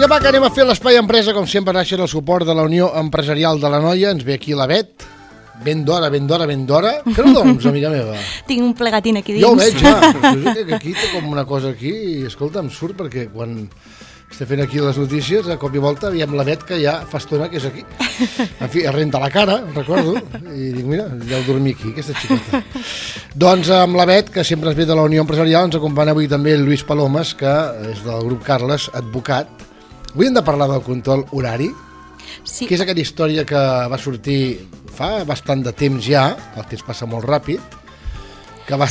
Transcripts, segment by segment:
Vinga, va, que anem a fer l'Espai Empresa, com sempre, gràcies al suport de la Unió Empresarial de l'Anoia. Ens ve aquí la Bet, ben d'hora. Que no dorms, amiga meva? Tinc un plegatín aquí dins. Jo ho veig, ja. Que aquí té com una cosa aquí i, escolta, em surt perquè quan estem fent aquí les notícies, a cop i volta, veiem la Bet que ja fa estona que és aquí. En fi, es renta la cara, recordo, i dic, mira, deu dormir aquí, aquesta xicota. Doncs amb la Bet, que sempre ens ve de la Unió Empresarial, ens acompanya avui també el Lluís Palomes, que és del grup Carles, advocat. Avui hem de parlar del control horari, Sí. que és aquella història que va sortir fa bastant de temps ja, el temps passa molt ràpid, que va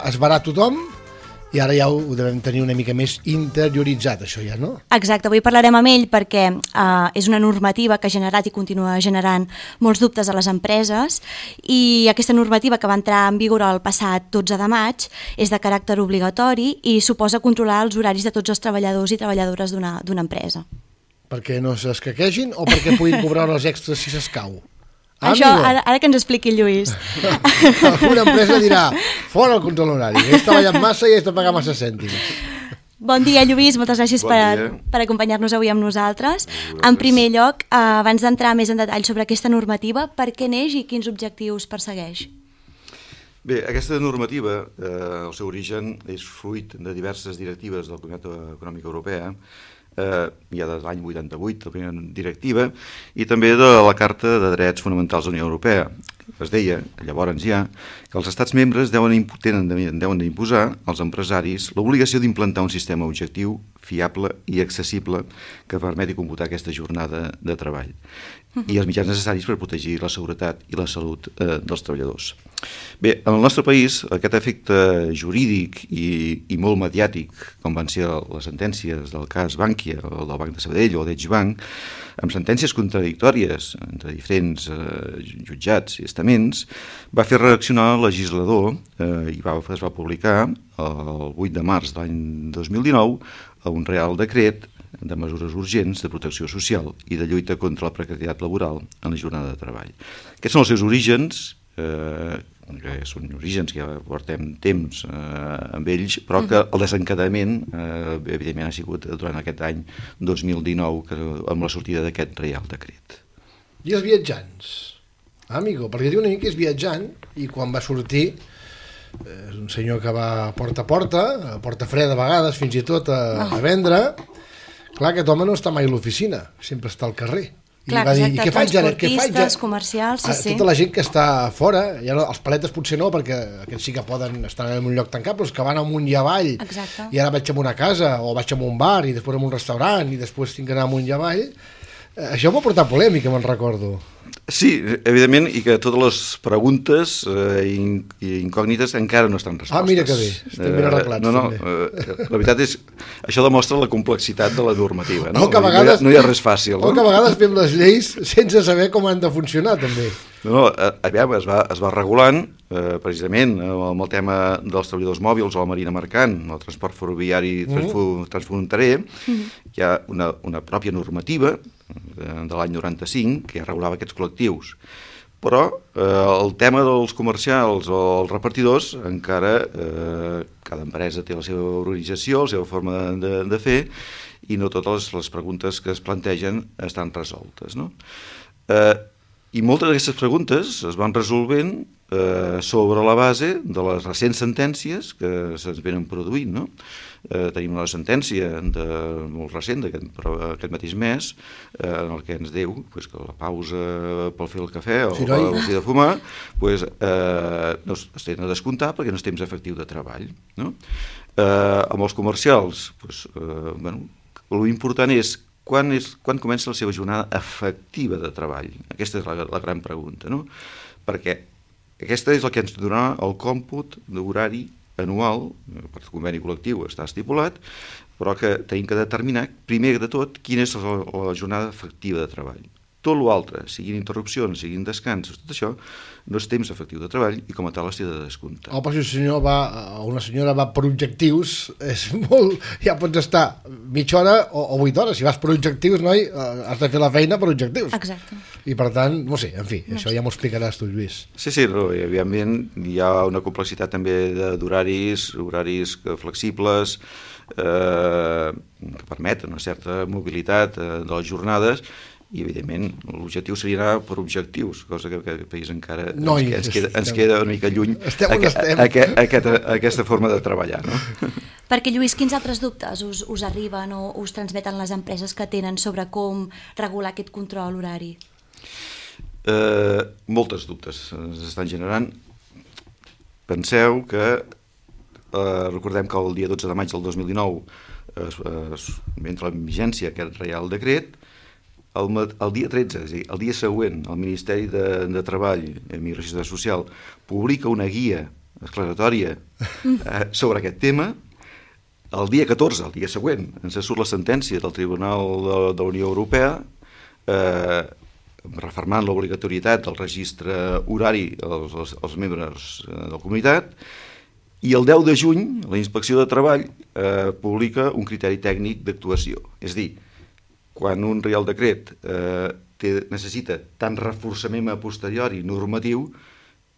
esverar tothom i ara ja ho devem tenir una mica més interioritzat, això ja, no? Exacte, avui parlarem amb ell perquè és una normativa que ha generat i continua generant molts dubtes a les empreses i aquesta normativa que va entrar en vigor el passat 12 de maig és de caràcter obligatori i suposa controlar els horaris de tots els treballadors i treballadores d'una empresa. Perquè no s'escaquegin o perquè puguin cobrar hores extres si s'escau? Això, ara que ens expliqui el Lluís. Una empresa dirà, fora el control horari, que has treballat massa i has de pagar massa cèntims. Bon dia, Lluís, moltes gràcies per acompanyar-nos avui amb nosaltres. En primer lloc, abans d'entrar més en detall sobre aquesta normativa, per què neix i quins objectius persegueix? Bé, aquesta normativa, el seu origen és fruit de diverses directives del Comunitat Econòmica Europea, ja de l'any 88, la primera directiva, i també de la Carta de Drets Fonamentals de la Unió Europea. Es deia, llavors ja, que els estats membres deuen d'imposar als empresaris l'obligació d'implantar un sistema objectiu, fiable i accessible que permeti computar aquesta jornada de treball i els mitjans necessaris per protegir la seguretat i la salut dels treballadors. Bé, en el nostre país, aquest efecte jurídic i molt mediàtic, com van ser les sentències del cas Bankia, o del Banc de Sabadell o d'Edge Bank, amb sentències contradictòries entre diferents jutjats i estaments, va fer reaccionar el legislador i es va publicar el 8 de març de l'any 2019 un Real Decret de mesures urgents de protecció social i de lluita contra la precarietat laboral en la jornada de treball. Aquests són els seus orígens, que són orígens que ja portem temps amb ells, però que el desencadament evidentment ha sigut durant aquest any 2019 amb la sortida d'aquest Real Decret. I els viatjants? Amigo, perquè diu una mica que és viatjant i quan va sortir és un senyor que va porta a porta freda a vegades, fins i tot a vendre. Clar, aquest home no està mai a l'oficina, sempre està al carrer. Clar, I va dir, exacte, transportistes, comercials, sí. Tota la gent que està fora, ja no, els paletes potser no, perquè aquests sí que poden estar en un lloc tancat, però els que van amunt i avall, exacte. I ara vaig a una casa, o vaig a un bar, i després a un restaurant, i després tinc que anar amunt i avall, això va portar polèmica, me'n recordo. Sí, evidentment, i que totes les preguntes i incògnites encara no estan respostes. Mira que bé, estem ben arreglats. La veritat és això demostra la complexitat de la normativa. No, que a vegades, no hi ha res fàcil. Que a vegades fem les lleis sense saber com han de funcionar, també. Aviam, es va regulant, precisament, amb el tema dels treballadors mòbils o la marina mercant, el transport ferroviari transfronterer, hi ha una pròpia normativa de l'any 95 que ja regulava aquests col·lectius. Però el tema dels comercials o els repartidors encara cada empresa té la seva organització, la seva forma de fer i no totes les preguntes que es plantegen estan resoltes, no? I moltes d'aquestes preguntes es van resolvent sobre la base de les recents sentències que se'ns venen produint, no? Tenim una sentència molt recent, aquest mateix mes, en el que ens diu que la pausa pel fer el cafè o el fi de fumar no es tenen a descomptar perquè no és temps efectiu de treball. Amb els comercials, l'important és quan comença la seva jornada efectiva de treball. Aquesta és la gran pregunta, no? Perquè aquesta és el que ens donarà el còmput d'horari anual, per conveni col·lectiu està estipulat, però que tenim que determinar, primer de tot, quina és la jornada efectiva de treball. Tot l'altre, siguin interrupcions, siguin descansos, tot això no és temps efectiu de treball i com a tal es té de descomptar. Però si una senyora va per objectius, és molt, ja pots estar mitja hora o 8 hores. Si vas per objectius, noi, has de fer la feina per objectius. Exacte. I per tant, no sé, en fi, això ja m'ho explicaràs tu, Lluís. Sí, evidentment hi ha una complexitat també d'horaris flexibles, que permeten una certa mobilitat de les jornades, i evidentment l'objectiu seria anar per objectius, cosa que aquest país encara ens queda una mica lluny aquesta forma de treballar, no? Perquè, Lluís, quins altres dubtes us arriben o us transmeten les empreses que tenen sobre com regular aquest control horari? Moltes dubtes ens estan generant. Penseu que recordem que el dia 12 de maig del 2019 entra en vigència aquest Reial Decret. El dia 13, és a dir, el dia següent, el Ministeri de Treball i Immigració Social publica una guia esclaratòria sobre aquest tema. El dia 14, el dia següent, ens surt la sentència del Tribunal de la Unió Europea refermant l'obligatorietat del registre horari als membres de la comunitat, i el 10 de juny la Inspecció de Treball publica un criteri tècnic d'actuació. És a dir, quan un Reial Decret necessita tant reforçament a posteriori normatiu,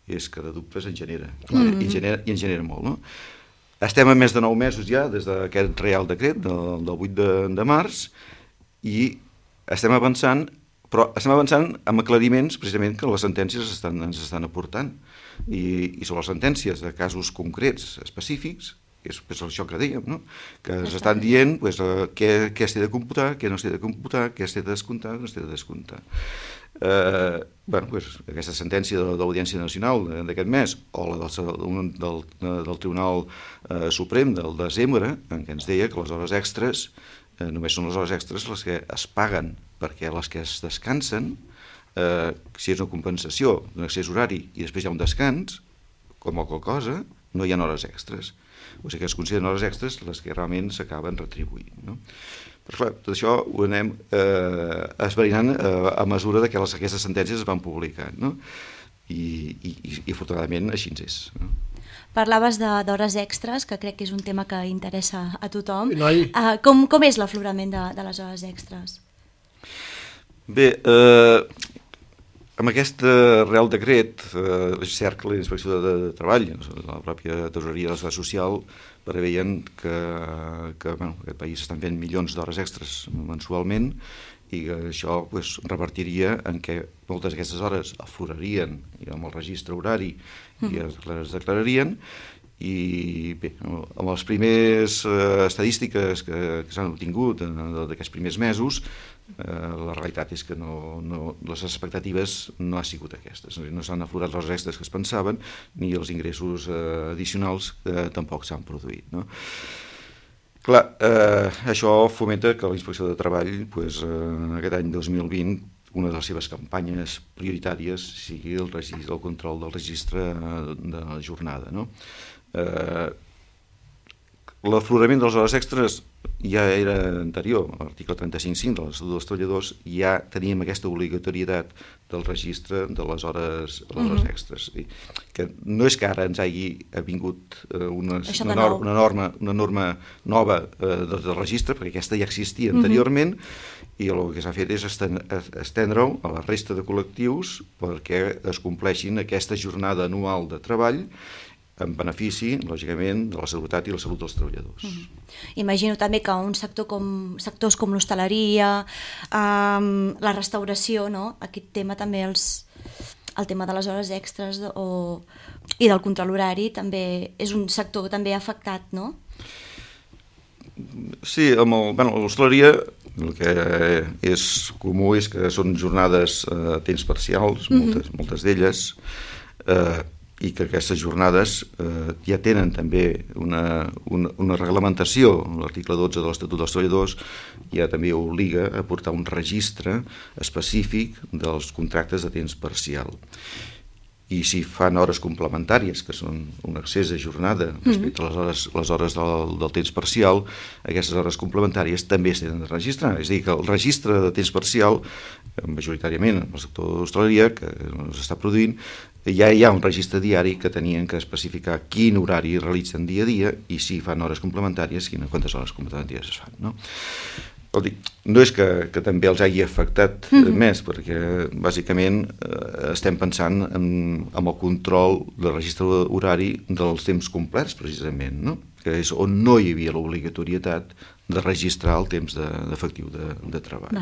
és que de dubtes en genera, i en genera molt, no? Estem a més de 9 mesos ja des d'aquest Reial Decret del 8 de març, i estem avançant, però estem avançant amb aclariments precisament que les sentències ens estan aportant, i sobre les sentències de casos concrets específics, és això que dèiem, no? Que ens estan dient què s'ha de computar, què no s'ha de computar, què s'ha de descomptar, què no s'ha de descomptar. Aquesta sentència de l'Audiència Nacional d'aquest mes, o la del Tribunal Suprem del desembre, en què ens deia que les hores extres només són les hores extres les que es paguen, perquè les que es descansen, si és una compensació d'un excés horari i després hi ha un descans, com qualsevol cosa, no hi ha hores extres. O sigui que es consideren hores extres les que realment s'acaben retribuint, no? Però clar, tot això ho anem esverinant a mesura que aquestes sentències es van publicant, no? I afortunadament així és, no? Parlaves d'hores extres, que crec que és un tema que interessa a tothom. Com és l'aflorament de les hores extres? Bé, amb aquest Reial Decret, és cert que la Inspecció de Treball, la pròpia Tesoreria de la Seguretat Social, preveien que aquest país estan fent milions d'hores extres mensualment, i que això revertiria en què moltes d'aquestes hores aflorarien amb el registre horari i es declararien. I bé, amb les primeres estadístiques que s'han obtingut d'aquests primers mesos, la realitat és que les expectatives no han sigut aquestes, no s'han aflorat les extres que es pensaven, ni els ingressos addicionals tampoc s'han produït, no? Clar, això fomenta que la Inspecció de Treball, aquest any 2020, una de les seves campanyes prioritàries sigui el control del registre de la jornada, no? L'aflorament de les hores extres ja era anterior, a l'article 35.5 de l'Estatut dels Treballadors ja teníem aquesta obligatorietat del registre de les hores extres. Que no és que ara ens hagi vingut una norma nova del registre, perquè aquesta ja existia anteriorment, i el que s'ha fet és estendre-ho a la resta de col·lectius perquè es compleixin aquesta jornada anual de treball en benefici, lògicament, de la seguretat i la salut dels treballadors. Imagino també que sectors com l'hostaleria, la restauració, no? Aquest tema també, el tema de les hores extres i del control horari també és un sector també afectat, no? Sí, amb l'hostaleria el que és comú és que són jornades a temps parcials, moltes d'elles, i que aquestes jornades ja tenen també una reglamentació. L'article 12 de l'Estatut dels Treballadors ja també obliga a portar un registre específic dels contractes de temps parcial. I si fan hores complementàries, que són un excés de jornada respecte a les hores del temps parcial, aquestes hores complementàries també es tenen de registrar. És a dir, que el registre de temps parcial, majoritàriament en el sector de l'hostaleria, que s'està produint, ja hi ha un registre diari que tenien que especificar quin horari realitzen dia a dia i si fan hores complementàries, quantes hores complementàries es fan, no? No és que també els hagi afectat més, perquè bàsicament estem pensant en el control del registre horari dels temps complets, precisament, no? que és on no hi havia l'obligatorietat de registrar el temps efectiu de treball.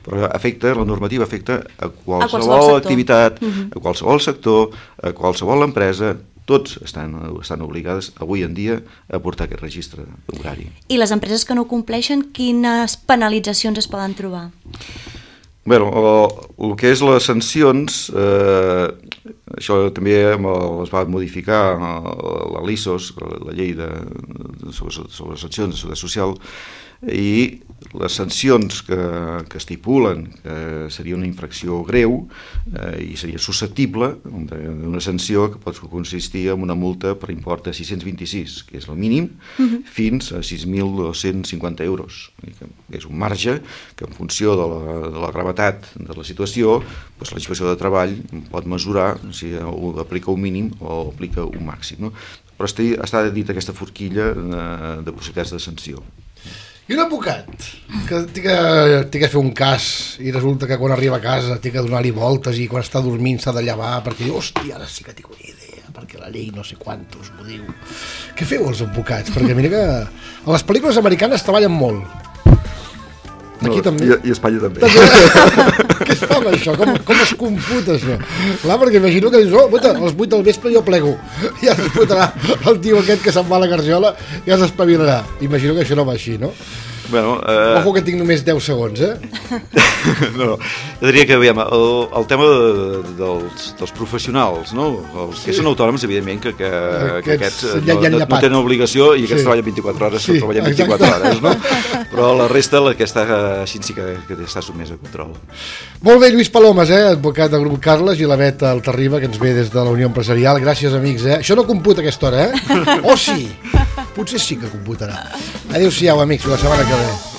Però la normativa afecta a qualsevol activitat, a qualsevol sector, a qualsevol empresa. Tots estan obligades avui en dia a portar aquest registre horari. I les empreses que no compleixen, quines penalitzacions es poden trobar? Bé, el que és les sancions, això també es va modificar la LISOS, la llei sobre les sancions de seguretat social, i les sancions que estipulen que seria una infracció greu i seria susceptible d'una sanció que pot consistir en una multa per import de 626, que és el mínim, fins a 6.250 euros. És un marge que en funció de la gravetat de la situació, la Inspecció de Treball pot mesurar si aplica un mínim o aplica un màxim. Però està dit aquesta forquilla de possibilitats de sanció. I un advocat que té que fer un cas i resulta que quan arriba a casa té que donar-li voltes i quan està dormint s'ha de llevar perquè diu, hòstia, ara sí que tinc una idea, perquè la llei no sé quantos m'ho diu. Què feu els advocats? Perquè mira que a les pel·lícules americanes treballen molt. Aquí també. I a Espanya també. Què es fa amb això? Com es computa això? Clar, perquè imagino que dius, a les 8 del vespre jo plego. Ja es fotrà el tio aquest que se'n va a la garjola i ja s'espavilarà. Imagino que això no va així, no? Bueno, ojo que tinc només 10 segons, No, jo diria que, aviam, el tema dels professionals, no? Els que són autònoms, evidentment, que aquests no tenen obligació i aquests treballen 24 hores, treballen 24 hores, no? Però la resta, la que està així sí que està sotmesa a control. Molt bé, Lluís Palomes, advocat del grup Carles, i la Beta Altarriba, que ens ve des de la Unió Empresarial. Gràcies, amics, Això no computa a aquesta hora, O sí? Potser sí que computarà. Adéu-siau, amics, la setmana que ve.